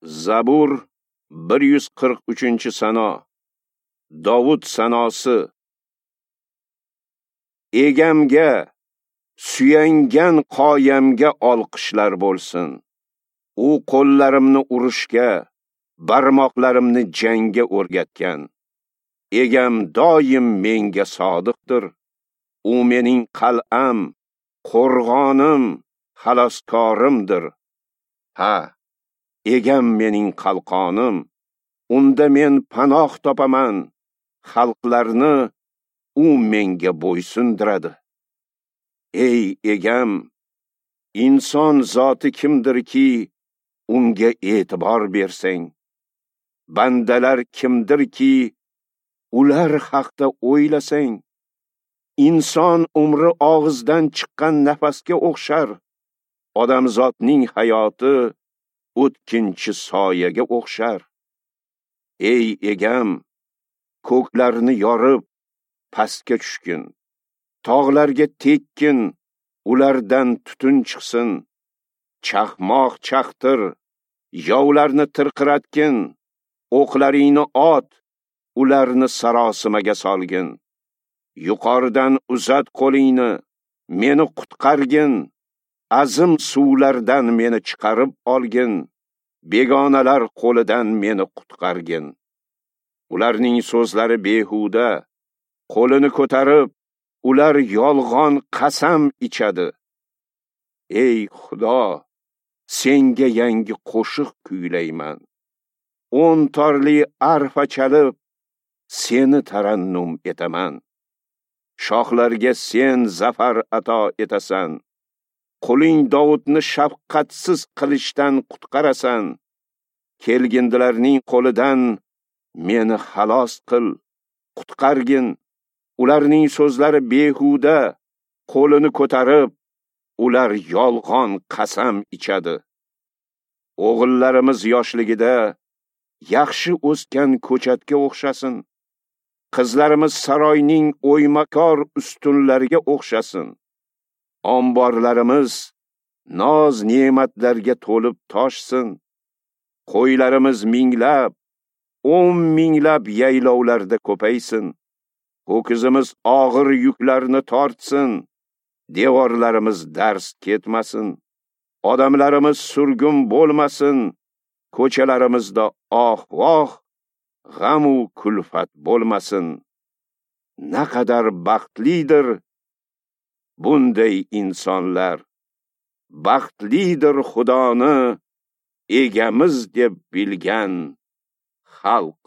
Zabur 143-sano. Dovud sanosi. Egamga, suyangan qoyamga olqishlar bo'lsin. U qo'llarimni urushga, barmoqlarimni jangga o'rgatgan. Egam doim menga sodiqdir. U mening qal'am, qo'rg'onim, xaloskorimdir. Ha, egam mening qalqonim, unda men panoh topaman. Xalqlarni u menga bo'ysundiradi. Ey egam, inson zoti kimdirki, unga e'tibor bersang, bandalar kimdirki, ular haqda o'ylasang. Inson umri og'izdan chiqqan nafasga o'xshar, odamzotning hayoti o'tkinchi soyaga o'xshar. Ey egam, ko'klarni yorib pastga tushgin, tog'larga tekkin, ulardan tutun chiqsin. Chaqmoq chaqtir, yovlarni tirqiratgin, o'qlaringni ot, ularni sarosimaga solgin. Yuqoridan uzat qo'lingni, meni qutqargin, azim suvlardan meni chiqarib olgin, begonalar qo'lidan meni qutqargin. Ularning so'zlari behuda, qo'lini ko'tarib, ular yolg'on qasam ichadi. Ey Xudo, senga yangi qo'shiq kuylayman. 10 torli arfa chalib, seni tarannum etaman. Shohlarga sen zafar ato etasan. Quling Dovudni shafqatsiz qilishdan qutqarasan. Kelgindilarning qo'lidan meni xalos qil, qutqargin. Ularning so'zlari behuda, qo'lini ko'tarib, ular yolg'on qasam ichadi. O'g'illarimiz yoshligida yaxshi o'sgan ko'chatga o'xshasin. Qizlarimiz saroyning o'ymakor ustunlariga o'xshasin. Omborlarimiz noz ne'matlarga to'lib toshsin. Qo'ylarimiz minglab, 10 minglab yaylovlarda ko'paysin. Ho'kizimiz og'ir yuklarni tortsin. Devorlarimiz dars ketmasin. Odamlarimiz surgun bo'lmasin. Ko'chalarimizda oh-voh, g'am-u kulfat bo'lmasin. Naqadar baxtlidir bunday insonlar. Baxtlidir Xudoni egamiz deb bilgan xalq.